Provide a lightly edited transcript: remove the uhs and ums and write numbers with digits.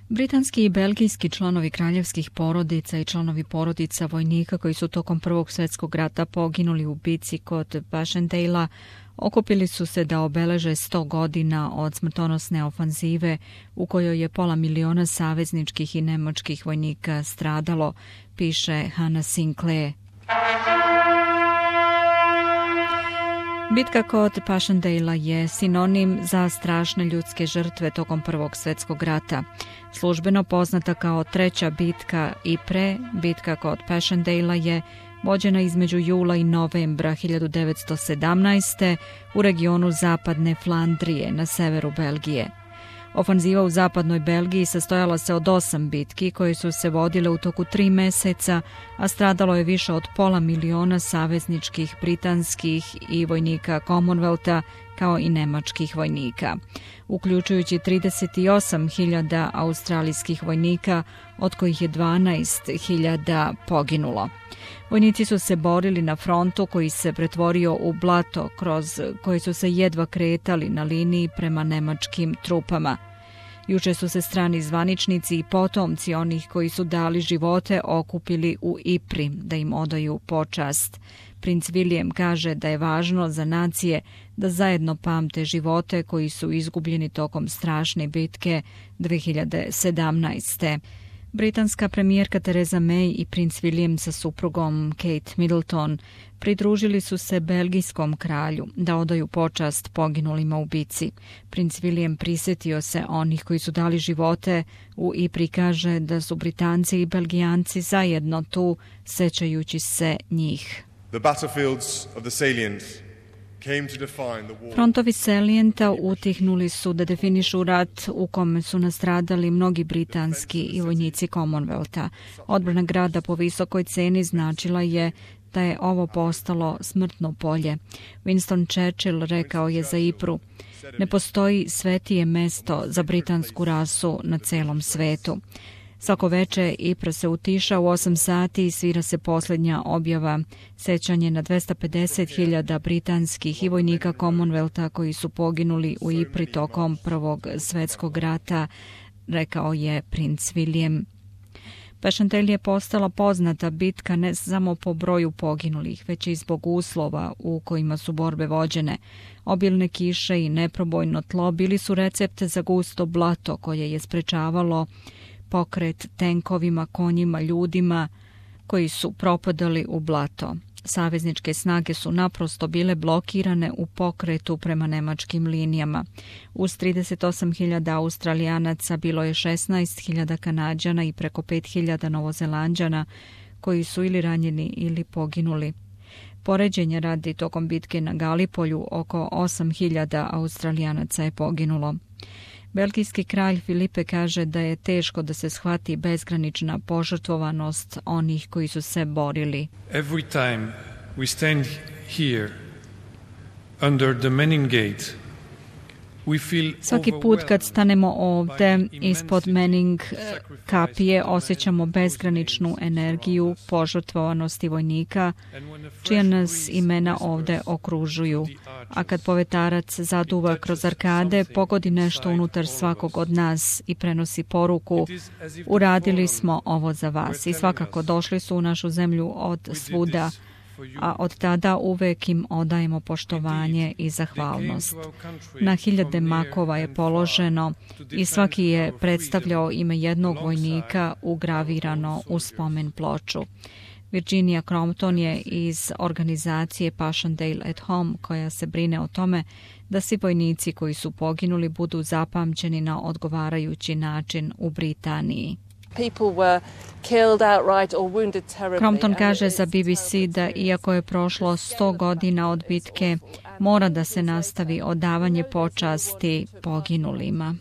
Britanski i belgijski članovi kraljevskih porodica i članovi porodica vojnika koji su tokom Prvog svjetskog rata poginuli u bici kod Passchendaele okupili su se da obeleže 100 godina od smrtonosne ofanzive u kojoj je 500.000 savezničkih i nemačkih vojnika stradalo, piše Hannah Sinclair. Bitka kod Passchendaele je sinonim za strašne ljudske žrtve tokom Prvog svjetskog rata. Službeno poznata kao treća bitka i bitka kod Passchendaele je vođena između jula i novembra 1917. u regionu zapadne Flandrije na severu Belgije. Ofanziva u zapadnoj Belgiji sastojala se od 8 bitki koje su se vodile u toku 3 meseca, a stradalo je više od 500.000 savezničkih, britanskih i vojnika Commonwealtha kao i nemačkih vojnika, uključujući 38.000 australijskih vojnika, od kojih je 12.000 poginulo. Vojnici su se borili na frontu koji se pretvorio u blato kroz koji su se jedva kretali na liniji prema nemačkim trupama. Juče su se strani zvaničnici i potomci onih koji su dali živote okupili u Ypres da im odaju počast. Princ William kaže da je važno za nacije da zajedno pamte živote koji su izgubljeni tokom strašne bitke 2017. Britanska premijerka Theresa May i princ William sa suprugom Kate Middleton pridružili su se belgijskom kralju da odaju počast poginulima u bici. Princ William prisjetio se onih koji su dali živote u Ypres, kaže da su Britanci i Belgijanci zajedno tu, sećajući se njih. Frontovi Salijenta utihnuli su da definišu rat u kome su nastradali mnogi britanski i vojnici Commonwealtha. Odbrana grada po visokoj ceni značila je da je ovo postalo smrtno polje. Winston Churchill rekao je za Ypres: ne postoji svetije mesto za britansku rasu na celom svetu. Svako veče Ypres se utiša u 8 sati i svira se posljednja objava, sećanje na 250.000 britanskih i vojnika Commonwealtha koji su poginuli u Ypres tokom Prvog svjetskog rata, rekao je princ William. Passchendaele je postala poznata bitka ne samo po broju poginulih, već i zbog uslova u kojima su borbe vođene. Obilne kiše i neprobojno tlo bili su recept za gusto blato koje je sprečavalo pokret tenkovima, konjima, ljudima koji su propadali u blato. Savezničke snage su naprosto bile blokirane u pokretu prema nemačkim linijama. Uz 38.000 Australijanaca bilo je 16.000 Kanađana i preko 5.000 Novozelanđana koji su ili ranjeni ili poginuli. Poređenja radi, tokom bitke na Galipolju oko 8.000 Australijanaca je poginulo. Belgijski kralj Filipe kaže da je teško da se shvati bezgranična požrtvovanost onih koji su se borili. Every time we stand here under the Menin Gate, svaki put kad stanemo ovdje ispod Mening kapije osjećamo bezgraničnu energiju požrtvovanosti vojnika čija nas imena ovdje okružuju. A kad povetarac zaduva kroz arkade, pogodi nešto unutar svakog od nas i prenosi poruku: uradili smo ovo za vas. I svakako došli su u našu zemlju od svuda, a od tada uvek im odajemo poštovanje i zahvalnost. Na hiljade makova je položeno i svaki je predstavljao ime jednog vojnika ugravirano u spomen ploču. Virginia Crompton je iz organizacije Passchendaele at Home, koja se brine o tome da svi vojnici koji su poginuli budu zapamćeni na odgovarajući način u Britaniji. Crompton kaže za BBC da iako je prošlo 100 godina od bitke, mora da se nastavi odavanje počasti poginulima.